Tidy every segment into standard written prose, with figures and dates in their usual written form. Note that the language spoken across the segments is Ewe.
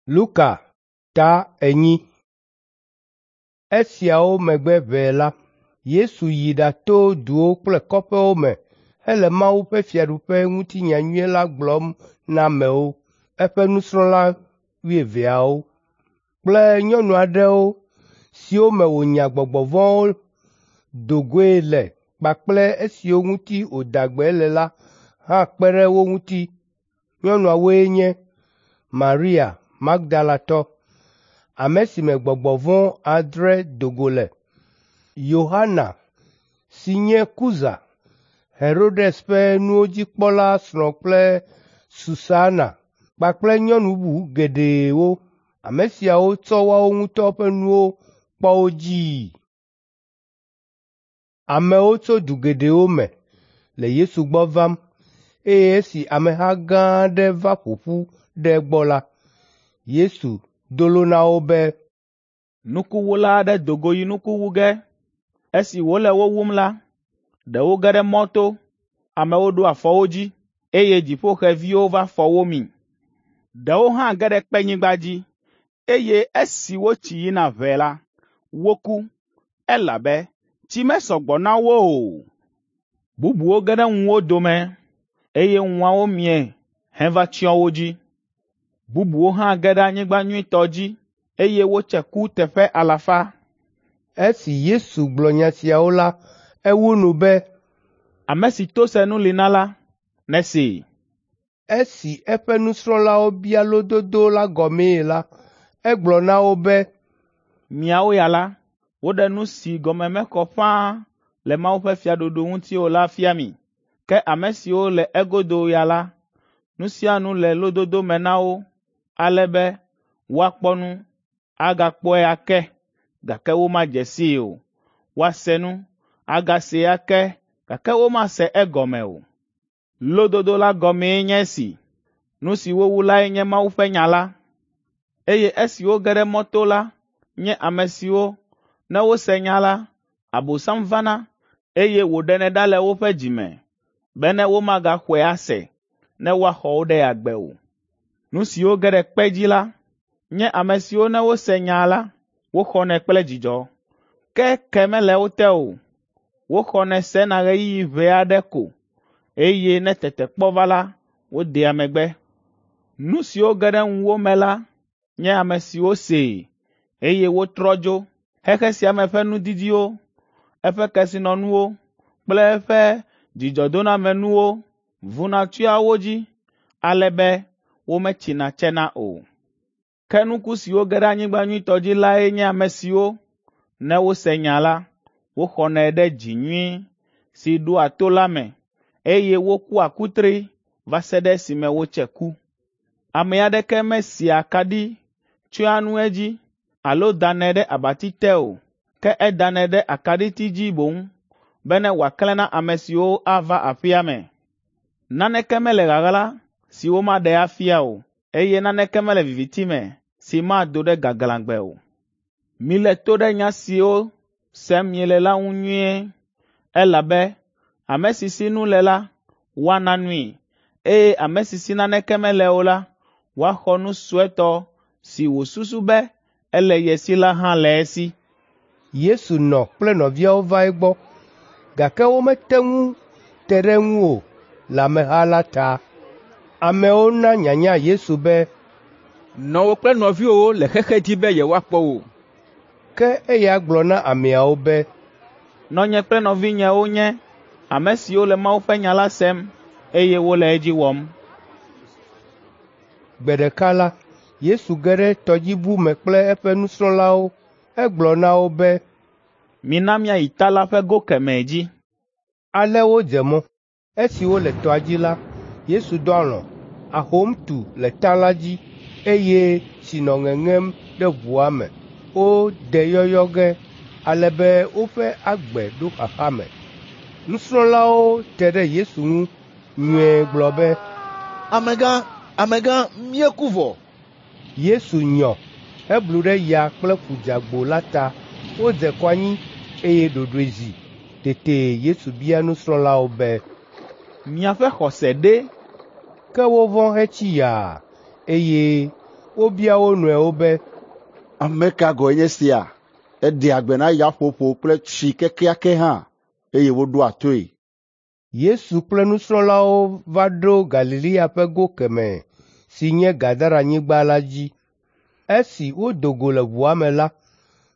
Luka ta 4. Esiawo megbe ʋɛe la, Yesu yi ɖato duwo kple kɔƒewo me hele Mawu ƒe fiaɖuƒe ŋuti nyanyui la gblɔm na amewo. Eƒe nusrɔ̃la wuieveawo kple nyɔnu aɖewo siwo me wònya gbɔgbɔ vɔ̃wo do goe le kpakple esiwo ŋuti wòda gbe le la hã kpe ɖe wo ŋuti. Nyɔnuawoe nye Maria Magdalatɔ, ame si me gbɔgbɔ vɔ̃ 6 do go le, Yohana si nye Kuza, Herodes ƒe nuwo dzikpɔla srɔ̃ kple Susana kpakple nyɔnu bubu geɖewo. Ame siawo tsɔ woawo ŋutɔ ƒe nuwo kpɔ wo dzii. Amewo tso du geɖewo me le Yesu gbɔ vam eye esi ameha gã aɖe va ƒo ƒu ɖe egbɔ la, Yesu do lo na wo be, Nukuwula aɖe do go yi nuku wu ge. Esi wòle wo wum la, ɖewo ge ɖe mɔto, amewo ɖo afɔ wo dzi, eye dziƒoxeviwo va fɔ wo mi. Ɖewo hã ge ɖe kpenyigba dzi, eye esi wotsi yina ʋɛe la, woku, elabe tsi mesɔ gbɔ na wo o. Bubuwo ge ɖe ŋuwo dome, eye ŋuawo mie heva tsyɔ wo dzi. Bubuwo hã ge ɖe anyigba nyuitɔ dzi, eye wotse ku teƒe alafa. Esi Yesu gblɔ nya siawo la, ewu nu be, Ame si to senu li na la, nesee. Esi eƒe nusrɔ̃lawo bia lododo la gɔmee la, egblɔ na wo be, Miawo ya la, woɖe nu si gɔme mekɔ ƒãa le Mawu ƒe fiaɖuɖu ŋuti o la fia mi. Ke ame siwo le egodo ya la, nu sia nu le lododo me na wo, ale be woakpɔ nu, agakpɔe ake, gake womadze sii o. Woase nu, agasee ake, gake womase egɔme o. Lododo la gɔmee nye esi: Nu si wowu lae nye Mawu ƒe nya la. Eye esiwo ge ɖe mɔto la nye ame siwo, ne wose nya la, Abosam vana, eye wòɖenɛ ɖa le woƒe dzi me, bene womagaxɔe ase, ne woaxɔ wo ɖe agbe o. Nu siwo ge ɖe kpe dzi la nye ame siwo ne wose nya la, woxɔnɛ kple dzidzɔ. Ke ke mele wo te o. Woxɔnɛ sena ɣeyiɣi ʋɛ aɖe ko, eye ne tetekpɔ va la, wodea megbe. Nu siwo ge ɖe ŋuwo me la nye ame siwo see, eye wotrɔ dzo. Xexe sia me ƒe nudidiwo, eƒe kesinɔnuwo kple eƒe dzidzɔdonamenuwo vuna tsyɔa wo dzi, ale be wometsina tsena o. Ke nuku siwo ge ɖe anyigba nyuitɔ dzi lae nye ame siwo, ne wose nya la, woxɔnɛ ɖe dzi nyui si ɖoa to la me, eye wokua kutri va se ɖe esime wotse ku. Ame aɖeke mesia akaɖi tsyɔa nu edzi alo danɛ ɖe abati te o, ke edanɛ ɖe akaɖiti dzi boŋ, bene wòaklẽ na ame siwo ava aƒea me. Naneke mele ɣaɣla si womaɖe afia o, eye naneke mele viviti me si mado ɖe gaglãgbe o. Milé to ɖe nya siwo sem miele la ŋu nyuie, elabe ame si si nu le la, woana nui, eye ame si si naneke mele o la, woaxɔ nu suetɔ si wòsusu be ele ye si la hã le esi. Yesu nɔ kple nɔviawo va egbɔ, gake womete ŋu te ɖe eŋu o le ameha la ta. Amewo na nyanya Yesu be, Nɔwò kple nɔviwòwo le xexe dzi be yewoakpɔ wò. Ke eya gblɔ na ameawo be, Nɔnye kple nɔvinyewo nye ame siwo le Mawu ƒe nya la sem, eye wole edzi wɔm. Gbe ɖeka la, Yesu ge ɖe tɔdziʋu me kple eƒe nusrɔ̃lawo. Egblɔ na wo be, Mina míayi ta la ƒe go kemɛ dzi. Ale wodze mɔ. Esi wole tɔa dzi la, Yesu dɔ alɔ̃. Ahom tu le ta la dzi, eye tsi nɔ ŋeŋem ɖe ʋua me. Wode yɔyɔ ge, ale be woƒe agbe ɖo xaxa me. Nusrɔ̃lawo te ɖe Yesu ŋu nyuie gblɔ be, Amegã, amegã, míeku vɔ. Yesu nyɔ heblu ɖe ya kple ƒu dzeagbo la ta. Wodze kɔ anyi eye ɖoɖoe zi. Tete Yesu bia nusrɔ̃lawo be, Miaƒe xɔse ɖe? Ke wovɔ̃ hetsi yaa, eye Wobia wo nɔewo be, “Ame ka gɔ̃e nye sia? Eɖea gbe na yaƒoƒo kple tsi kekeake hã, eye woɖoa toe.” Yesu kple nusrɔ̃lawo va ɖo Galilea ƒe go kemɛ si nye Gadaranyigba la dzi. Esi wodo go le ʋua me la,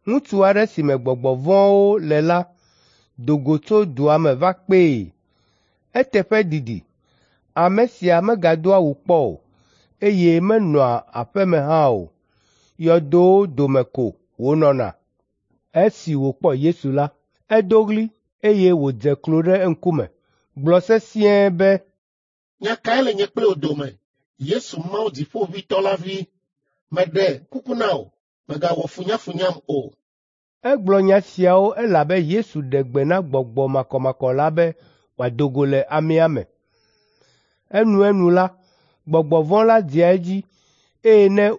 ŋutsu aɖe si me gbɔgbɔ vɔ̃wo le la do go tso dua me va kpee. Eteƒe didi, ame sia megadoa awu kpɔ o, eye menɔa aƒe me hã o. Yɔdowo dome ko wònɔna. Esi wòkpɔ Yesu la, edo ɣli, eye wòdze klo ɖe eŋkume, gblɔ sesĩe be, “Nya kae le nye kple wò dome, Yesu Mawu Dziƒoʋĩtɔ la vi? Meɖe kuku na wò, mègawɔ funyafunyam o.” Egblɔ nya siawo elabe Yesu ɖe gbe na gbɔgbɔ makɔmakɔ la be wòado go le amea me. Enuenu la, gbɔgbɔ vɔ̃ la dzea edzi, eye ne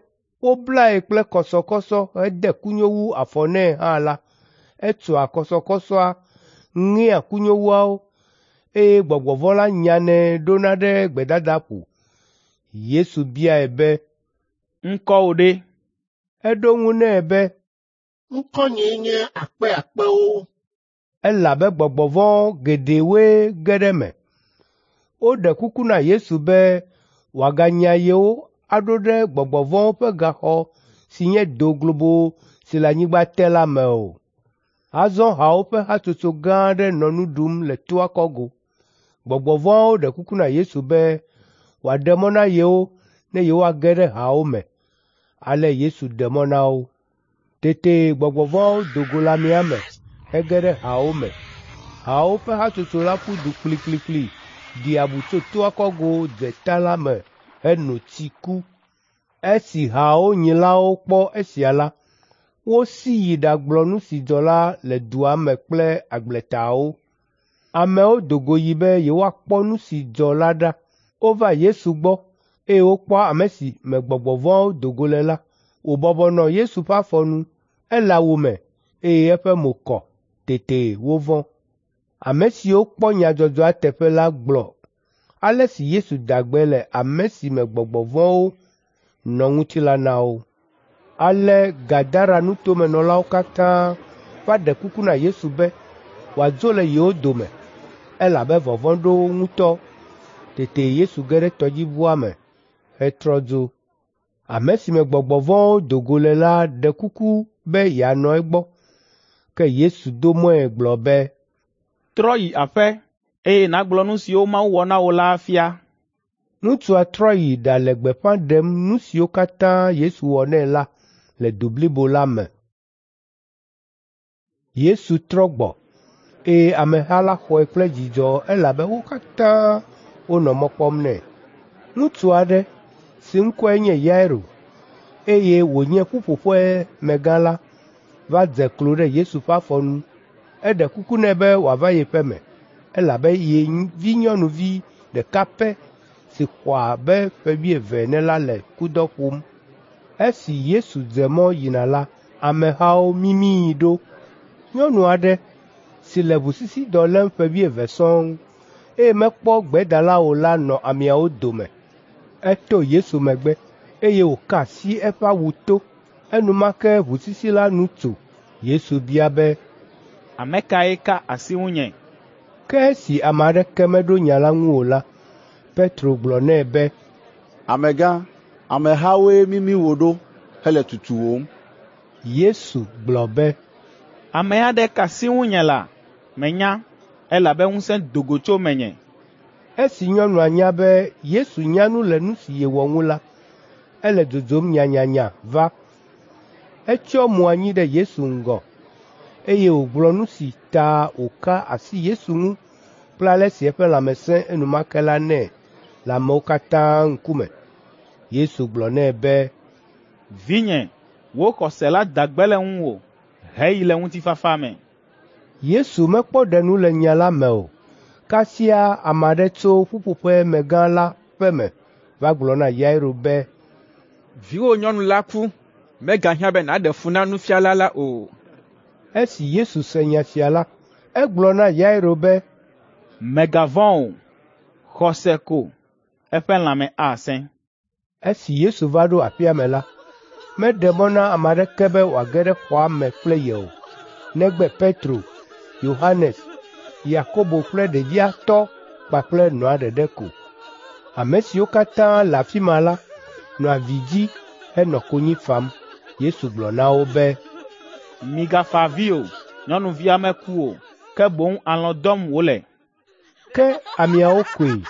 woblae kple kɔsɔkɔsɔ hede kunyowu afɔ nɛ hã la, etsoa kɔsɔkɔsɔa, ŋea kunyowuawo, eye gbɔgbɔ vɔ̃ la nyanɛ ɖona ɖe gbedadaƒo. Yesu biae be, “Ŋkɔwò ɖe?” Eɖo eŋu nɛ be, “Ŋkɔnyee nye Akpeakpewo.” Elabe gbɔgbɔ vɔ̃ geɖewoe ge ɖe eme. Woɖe kuku na Yesu be wòaganya yewo aɖo ɖe gbɔgbɔ vɔ̃wo ƒe gaxɔ si nye do globo si le anyigba te la me o. Azɔ hawo ƒe hatsotso gã aɖe nɔ nu ɖum le toa kɔgo. Gbɔgbɔ vɔ̃awo ɖe kuku na Yesu be wòaɖe mɔ na yewo ne yewoage ɖe hawo me. Ale Yesu ɖe mɔ na wo. Tete gbɔgbɔ vɔ̃awo do go le amea me hege ɖe hawo me. Hawo ƒe hatsotso la ƒu du kplikplikpli ɖi abu tso toa kɔgo dze ta la me heno tsi ku. Esi hawo nyilawo kpɔ esia la, wosi yi ɖagblɔ nu si dzɔ la le dua me kple agbletawo. Amewo do go yi be yewoakpɔ nu si dzɔ la ɖa. Wova Yesu gbɔ, eye wokpɔ ame si me gbɔgbɔ vɔ̃awo do go le la, wòbɔbɔ nɔ Yesu ƒe afɔ nu. Ele awu me, eye eƒe mo kɔ. Tete wovɔ̃. Ame siwo kpɔ nyadzɔdzɔa teƒe la gblɔ ale si Yesu da gbe le ame si me gbɔgbɔ vɔ̃wo nɔ ŋuti la na wo. Ale Gadara nutomenɔlawo katã va ɖe kuku na Yesu be wòadzo le yewo dome, elabe vɔvɔ̃ ɖo wo ŋutɔ. Tete Yesu ge ɖe tɔdziʋua me hetrɔ dzo. Ame si me gbɔgbɔ vɔ̃wo do go le la ɖe kuku be yeanɔ egbɔ. Ke Yesu do mɔe gblɔ be, “Trɔ yi aƒe, eye nàgblɔ nu siwo Mawu wɔ na wò la afia.” Ŋutsua trɔ yi ɖale gbeƒã ɖem nu siwo katã Yesu wɔ nɛ la le du blibo la me. Yesu trɔ gbɔ, eye ameha la xɔe kple dzidzɔ elabe wo katã wonɔ mɔ kpɔm nɛ. Ŋutsu aɖe si ŋkɔe nye Yairo, eye wònye ƒuƒoƒemegã la, va dze klo ɖe Yesu ƒe afɔ nu. Eɖe kuku nɛ be wòava yeƒe me, elabe ye vinyɔnuvi ɖeka pɛ si xɔ abe ƒe wuieve ene la le kudɔ ƒom. Esi Yesu dze mɔ yina la, amehawo mimii ɖo. Nyɔnu aɖe si le ʋusisidɔ lém ƒe wuieve sɔŋ, eye mekpɔ gbedala o la nɔ ameawo dome. Eto Yesu megbe, eye wòka asi eƒe awu to. Enumake ʋusisi la nu tso. Yesu bia be, “Ame kae ka asi ŋunye?” Ke esi ame aɖeke meɖo nya la ŋu o la, Petro gblɔ nɛ be, “Amegã, amehawoe mimi wò ɖo hele tutuwòm.” Yesu gblɔ be, “Ame aɖe ka asi ŋunye la, menya, elabe ŋusẽ do go tso menye.” Esi nyɔnua nya be Yesu nya nu le nu si yewɔ ŋu la, ele dzodzom nyanyanya va. Etsyɔ mo anyi ɖe Yesu ŋgɔ, eye wògblɔ nu si ta wòka asi Yesu ŋu kple ale si eƒe lãme sẽ enumake la nɛ le amewo katã ŋkume. Yesu gblɔ nɛ be, “Vinye, wò xɔse la da gbe le ŋuwò, heyi le ŋutifafa me.” Yesu mekpɔ ɖe nu le nya la me o. Kasia ame aɖe tso ƒuƒoƒemegã la ƒe me va gblɔ na Yairo be, “Viwò nyɔnu la ku, megahiã be nàɖe fu na nufiala la o.” Esi Yesu se nya sia la, egblɔ na Yairo be, “Mègavɔ̃ o, xɔ se ko, eƒe lãme asẽ.” Esi Yesu va ɖo aƒea me la, Meɖe mɔ na ame aɖeke be wòage ɖe xɔa me kple ye o, negbe Petro, Yohanes, Yakobo kple ɖevia tɔ kpakple nɔa ɖeɖe ko. Ame siwo katã le afi ma la nɔ avi dzi henɔ konyi fam. Yesu gblɔ na wo be, “Migafa avi o, nyɔnuvia meku o, ke boŋ alɔ̃ dɔm wòle.” Ke ameawo koe,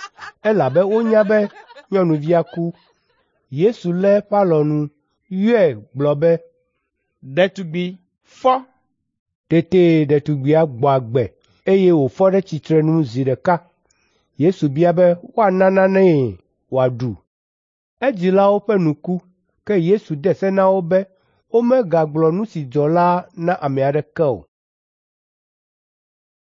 elabe wonya be nyɔnuvia ku. Yesu lé eƒe alɔnu, yɔe gblɔ be, “Ɖetugbi, fɔ!” Tete ɖetugbia gbɔ agbe eye wòfɔ ɖe tsitrenu zi ɖeka. Yesu bia be woana nanee wòaɖu. Edzilawo ƒe nu ku, ke Yesu de se na wo be womegagblɔ nu si dzɔ la na ame aɖeke o.